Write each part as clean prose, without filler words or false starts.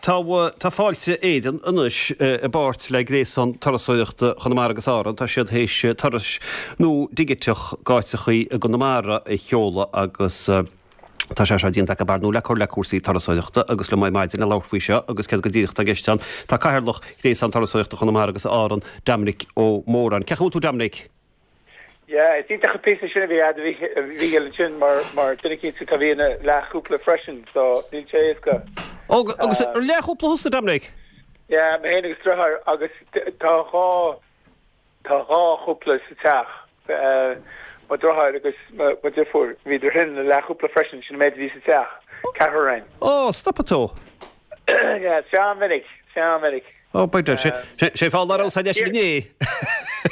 Tá tá Fáilte Éireann anois i bpáirt le Gréasán Turasóireachta Chonamara agus Árann, tá siad théis turais nua digiteach d'áiteachaí i gConamara a sheoladh agus tá sé seo déanta acu ar ndóigh le cur le cúrsaí turasóireachta agus liom ar maidin le labhairt faoi seo agus céard go díreach atá i gceist ann tá Cathaoirleach Ghréasán Turasóireachta Chonamara agus Árann, Dominic Ó Móráin. Cén chaoi a bhfuil tú Dominic? Yeah, is iontach an píosa sin a bhí a'd a Mhíchíl ansin mar mar duine eicínt atá bhí ina leathchúpla freisin so níl sé éasca. Ó, agus ar leathchúpla thusa, Dominic? Yeah, mé féin agus driotháir agus tá dhá tá dhá chúpla sa teach, mo driotháir agus mo deirfiúr, bhíodar sin ina leathchúpla freisin, sin an méid a bhí sa teach, ceathrar againn. Ó, stopfaidh tú. Yeah, sea an-mhinic, sea an-mhinic. Ó, by dad, sé fáth lá raibh leis inné.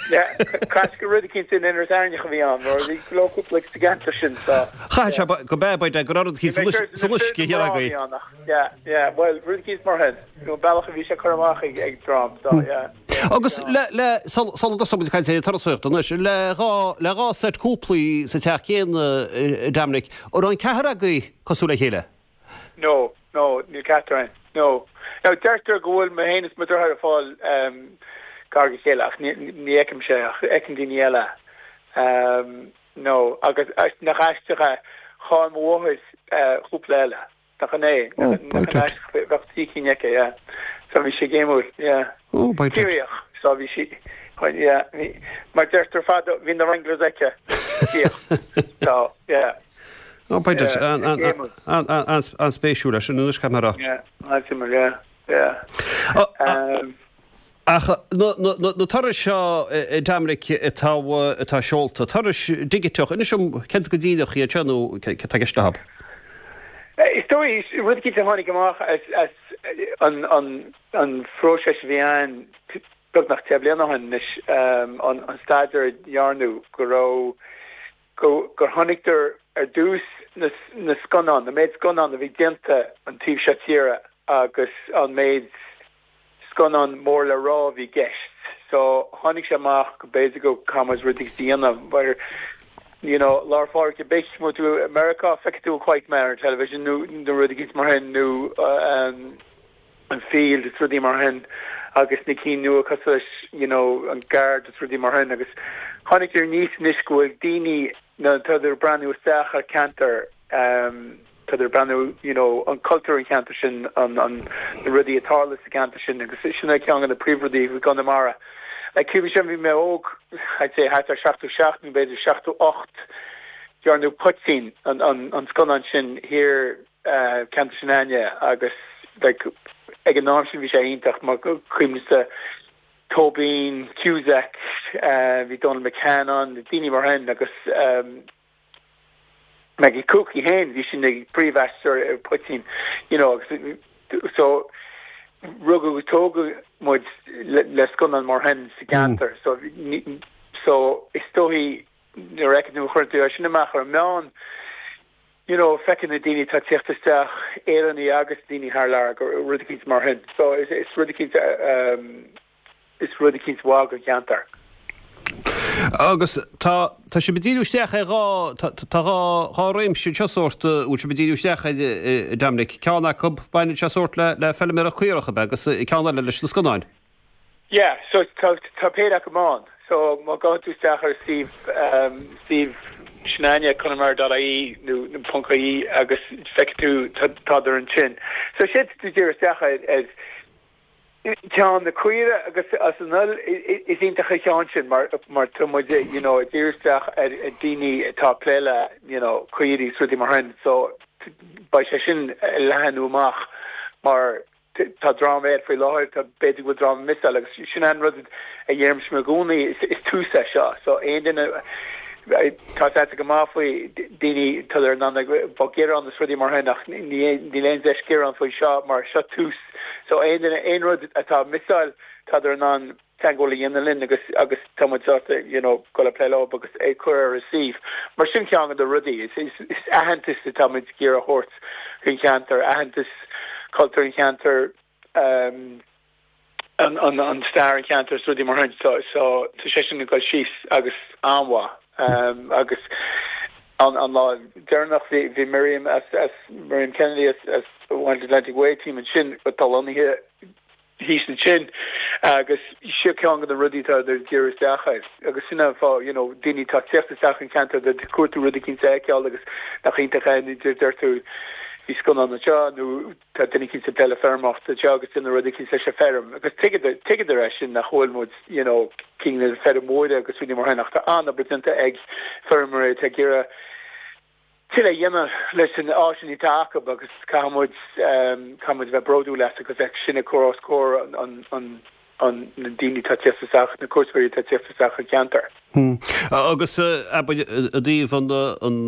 Caithfidh gur rud eicínt in Inis Airneach a bhí ann, mar bhí go leor cúpla sa gceantar sin, so. Chaithfeadh sé go b'ea, by dad, go raibh rud eicínt san uisce thiar agaibh. Yeah, yeah, bhuel, rud eicínt mar sin, nó an bealach a bhí sé curtha amach ag dream, so, yeah. Agus le, le, sula dtosóidh muid ag caint ar an turasóireacht anois, le dhá, le dhá seit cúplaí sa teach céanna, Dominic, an raibh an ceathrar agaibh cosúil le chéile? No, no, níl ceachtar againn. No. Now, deirtear go bhfuil mé féin is mo dheartháir ag fáil gar do chéile ach ní fheicimse é ach feiceann daoine eile. No, agus nach aisteach é, chaill mo mháthair cúpla eile. Nach in é? Nach in aisteach, bheadh trí cinn aici, yeah. So bhí sé géimiúil, yeah. Oh, by dad. Ciarraíoch, so bhí sí, yeah, bhí, mar deirtear fadó, bhí na Wranglers aici. So, yeah. Ó, b'fhéidir. An-spéisiúil é sin anois, caithfidh mé a rá. Yeah, an-suimiúil, yeah, yeah. Ach na turais seo, a Dominic, atá atá seolta, turais dhigiteach, inis dom céard go díreach iad seo nó céard atá i gceist leo? Is dóigh, rud eicínt a tháinig amach as an phróiseas a bhí ann beagnach 10 bliana ó shin anois, an staidéar a dhearnadh go raibh gur chonaiceadar ar dtús na scannáin, na méid scannán a bhí déanta an taobh seo tíre agus an méid scannán mór le rá a bhí i gceist. So tháinig sé amach go b'fhéidir go caithfidh muid rud éigin a dhéanamh mar you know Lá 'le Pádraig ar bith, má tá tú i Meiriceá feicfidh tú Quiet Man ar an television nó nó rud éigin mar sin nó um, an Field is rudaí mar sin agus na cinn nua cosúil leis you know an Guard is rudaí mar sin agus tháinig aníos anois go bhfuil daoine nuair atádar ag breathnú isteach ar ceantar um, tádar ag breathnú you know an cultúr an cheantar sin an, an na rudaí a tharla sa gceantar sin agus sin é ceann de na príomhrudaí i gConamara. Like cuimhním bhí mé óg I'd say thart ar 77 nó b'fhéidir 78 dearnadh Poitín an, an, an scannán sin thiar ceantar Sionainne agus like ag an am sin bhí sé iontach mar cuimhnímse Tóibín, Cusack, bhí Donal McCann ann, daoine mar sin agus Maggie Cooke í féin, bhí sí ina príomhaisteoir ar Poitín you know agus so rugadh agus tógadh muid le, le scannán mar sin sa gceantar so so is dóichí nuair a fheiceann tú, chuireann tú é sin amach ar an meán you know, feiceann na daoine atá ag tíocht isteach, Éireannaigh agus daoine thar lear, gur rud eicínt mar sin. So is, is rud eicínt, um, is rud eicínt mhaith don cheantar. Agus tá, tá sibh ag díriú isteach ar dhá, tá, tá dhá, dhá réimse anseo sórt, a bhfuil sibh ag díriú isteach air, a Dominic. Ceann acu, baineann sé sórt le, le feilméaracht caorach, ab ea, agus ceann eile leis na scannáin. Yeah, so tá tá péire acu ann. So má ghabhann tú isteach ar suíomh um, suíomh Sionainne Conamara dot ie nó nó ponc ie agus feicfidh tú tá tádar ansin. So sé tú díriú isteach ar ar ceann na caoire agus as an fheoil is iontach an ceann sin mar mar tá muid you know ag díriú isteach ar ar daoine atá ag plé le you know caoirigh is rudaí mar sin. So beidh sé sin ag leathnú amach mar Tá dream air faoi láthair, tá b'fhéidir go bhfuil dream ag missáil agus sin an rud a dheirimse i gcónaí, is tús é seo. So aon duine tá a fhios go maith faoi daoine tá in ann bheadh gearán is rudaí mar sin ach níl aon deis gearán faoi seo mar seo tús. So aon duine aon rud atá ag missáil tádar in ann teagmháil a dhéanamh linn agus agus tá muid sásta you know dul ag plé leo agus é cur ar an suíomh. Mar sin ceann de na rudaí, is is is aitheantas atá muid ag iarraidh a thabhairt don cheantar, aitheantas cultúr an cheantair, um, an an an stair an cheantair is rudaí mar sin. So so tá sé sin ag dul síos agus an-mhaith. Um, agus an an lá deireanach bhí bhí Miriam as as Miriam Kennedy as as. Wild Atlantic Way team ansin atá lonnaithe thíos ansin agus seo ceann de na rudaí atá ag díriú isteach air agus sin an fáth you know daoine atá ag teacht isteach an ceantar ag cuartú rud eicínt a fheiceáil agus nach iontach é nó deir tú bhí scannán anseo nó tá duine eicínt ag plé le feirmeoireacht anseo agus déanamh rud eicínt leis an feirm agus tuigeadar é sin nach bhfuil muid you know cinn na feirmeoirí agus rudaí mar sin ach tá an-obair déanta ag feirmeoirí atá ag iarraidh tuilleadh a dhéanamh leis an áiseanna atá acu agus caithfidh muid caithfidh muid a bheith bródúil as agus é sin a chur os comhair an an an na daoine atá ag teacht isteach, na cuairteoirí atá ag teacht isteach an ceantar. Agus abair i dtaobh an an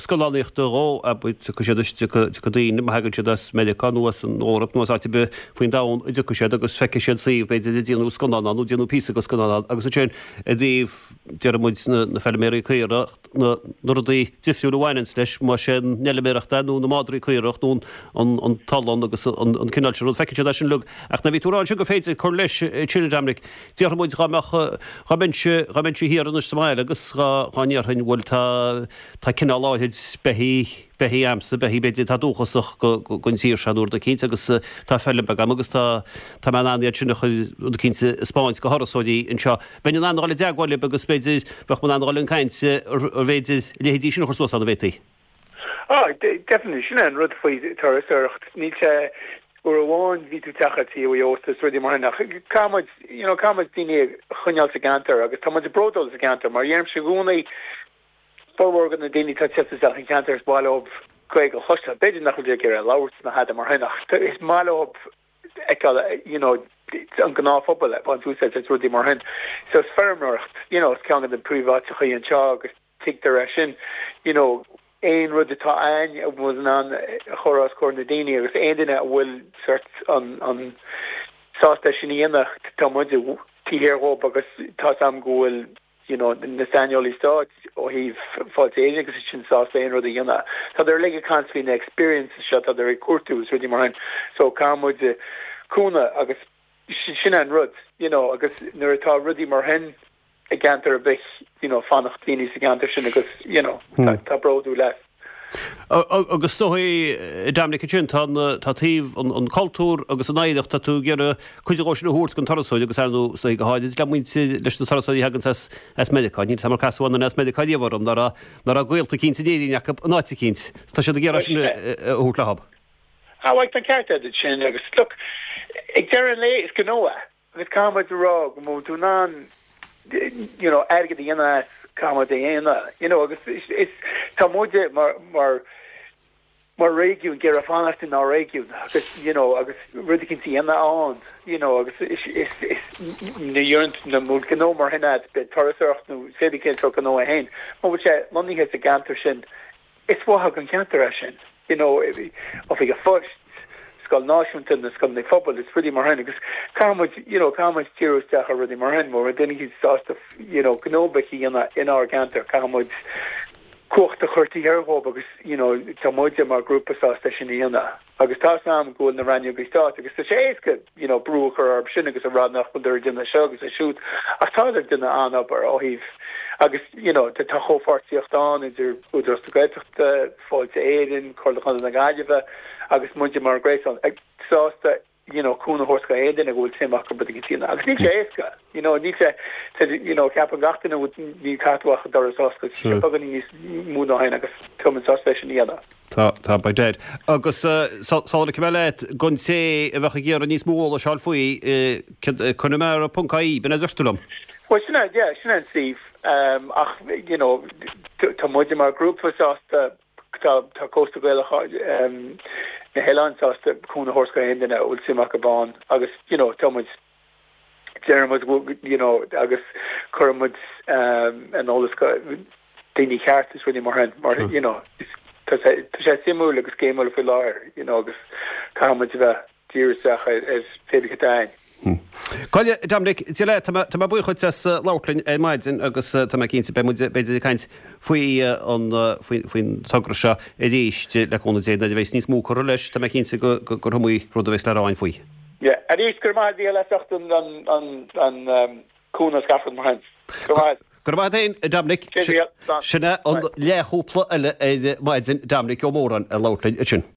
scannánaíochta dhó, abair tiocfaidh siad is tiocfaidh tiocfaidh daoine, má thagann siad as Meiriceá nó as an Eoraip nó as áit ar bith faoin domhan, tiocfaidh siad agus feicfidh siad suíomh b'fhéidir a déanadh scannán ann nó déanadh píosa de scannán ann agus ansin i dtaobh déarfaidh muid na na feilméaraí caorach, na rudaí difriúla a bhaineanns leis, más é an fheilméaracht é nó na madraí caorach nó an t-olann agus an cineál sin rud, feiceann siad é sin uilig. Ach nuair a bhí tú ag rá ansin gur féidir cur leis ansin, a Dominic, déarfaidh muid dhá mbeadh, dhá mbeinnse, dhá mbeinnse thiar anois sa mbaile agus dhá, dhá ndéarfainn bhuel tá, tá cineál áithrid beithígh, beithígh a'msa, beithígh b'fhéidir atá dúchasach go, gon tír seo nó rud eicínt agus tá feilm beag a'm agus tá, tá mé in ann iad sin a chur, rud eicínt a 'speáint go thurasóirí anseo. Bheinn in ann a dhul i dteagmháil libh agus b'fhéidir, bheadh mé in ann a dhul chun cainte arbh fhéidir a leithéidí sin a chur suas ann, an bhféadfaí? Ah, definitely, sin é an rud faoi turasóireacht, níl sé, uair amháin bhí tú ag teacht go dtí ósta is rudaí mar sin ach caithfidh muid, you know, caithfidh muid daoine a choinneáil sa gceantar agus tá muid bródúil sa gceantar mar deirimse i gcónaí, formhór de na daoine atá ag teacht isteach an ceantar is maith leo Gaeilge a chloisteáil, b'fhéidir nach bhfuil siad ag iarraidh labhairt ná tada mar sin ach is maith leo fheiceáil you know an gnáthphobal ag baint úsáid as rudaí mar sin. So is feirmeoireacht you know is ceann de na príomháiteacha anseo agus tuigtear é sin you know aon rud atá a'ainn a bhfuil in ann a chur os comhair na daoine agus aon duine a bhfuil sort an an sásta é sin a dhéanamh tá muid taobh thiar dhób agus tá's a'm go bhfuil you know, na saineolaí stáit ó thaobh Fáilte Éireann agus iad sin sásta aon rud a dhéanamh. Tádar uilig ag caint faoi na experiences seo, tádar ag cuartú is rudaí mar sin. So caithfidh muid cúnamh agus sin an rud, you know, agus nuair atá rudaí mar sin i gceantar ar bith, you know, fanacht daoine sa gceantar sin agus, you know, tá bródúil as. Agus is dóigh, Dominic, ansin, tá tá taobh an cultúr agus an oidhreacht, tá tú ag iarraidh cuid dhó sin a thabhairt don turasóir agus ar ndóigh, is dóigh go háirid le muintir, leis na turasóirí a thaganns as as Meiriceá. Níl 's a'm ar casadh aon duine as Meiriceá riamh orm ná raibh ná raibh gaolta eicínt in Éirinn acu in áit eicínt. Tá siad ag iarraidh sin a thabhairt leo. Ah, bhuel, tá an ceart agat sin agus look, ag deireadh an lae is gnó é. Agus caithfidh muid a rá go bhfuil tú in ann you know airgead a dhéanamh as, caithfidh muid é a dhéanamh you know agus is, is, tá muide mar, mar, mar réigiún ag iarraidh fanacht inár réigiún agus you know agus rud eicínt a dhéanamh ann you know agus is, is, is nuair a dhéanann tú nó gnó mar sin agat, bíodh turasóireacht nó cibé cén sórt gnó é féin, má bhfuil sé lonnaithe sa gceantar sin Is mhaith don cheantar é sin, you know, oifig an phoist, scoil náisiúnta, na scoileanna phobail, is rudaí mar sin agus caithfidh muid, you know, caithfidh muid díriú isteach ar rudaí mar sin, má bhfuil duine eicínt sásta, you know, gnó beag a dhéanamh inár gceantar, caithfidh muid cumhacht a chur taobh thiar dhóibh agus, you know, tá muide mar ghrúpa sásta é sin a dhéanamh. Agus tá 's a'm go bhfuil na rannógaí stáit agus tá sé éasca you know brú a chur orthu sin agus a rá nach bhfuil ag déanamh seo agus é siúd ach tádar ag déanamh an-obair ó thaobh agus you know tá comhpháirtíocht ann idir Údarás na Gaeltachta, Fáilte Éireann, Comhairle Chontae na Gaillimhe agus muide mar ghréasán ag sásta you know cúnamh a thabhairt go aon duine go bhfuil suim acu rud éigin a dhéanamh agus níl sé éasca you know níl sé you know ceapann gach duine ní caithfidh tú ach an doras a oscailt sé beagáinín níos mó ná sin agus tá muid sásta é sin a dhéanamh. Tá, tá, by dad. Agus sula ligfidh mé leat, don té a bheadh ag iarraidh níos mó eolais a fháil faoi, conamara ponc ie, b'in é a dúirt tú liom? Bhuel sin é, yeah, sin é an suíomh ach you know tá muide mar ghrúpa sásta Tá tá Cósta Gaelach na hOileáin sásta cúnamh a thabhairt go aon duine a bhfuil suim acu ann agus you know tá muid deireann muid you know agus cuireann muid an eolas go daoine ceart is rudaí mar sin mar you know tá sé tá sé suimiúil agus géimiúil faoi láthair you know agus caithfidh muid a bheith díriú isteach ar ar pé bith atá ann. Coille, Dominic, Dia leat, tá mé buíoch dhuit as labhairt linn ar maidin agus tá mé cinnte beidh muid b'fhéidir ag caint faoi an faoin togra seo arís le cúnamh Dé nuair a bheas níos mó curtha leis, tá mé cinnte gur iomaí rud a bheas le rá againn faoi. Yeah, arís, go raibh maith agat a Mhícheáil as ucht an an cúnamh is gach rud mar sin. Go raibh maith agat. Go raibh maith agat féin, a Dominic. Sin é an leathchúpla eile ar maidin, Dominic Ó Móráin ag labhairt linn ansin.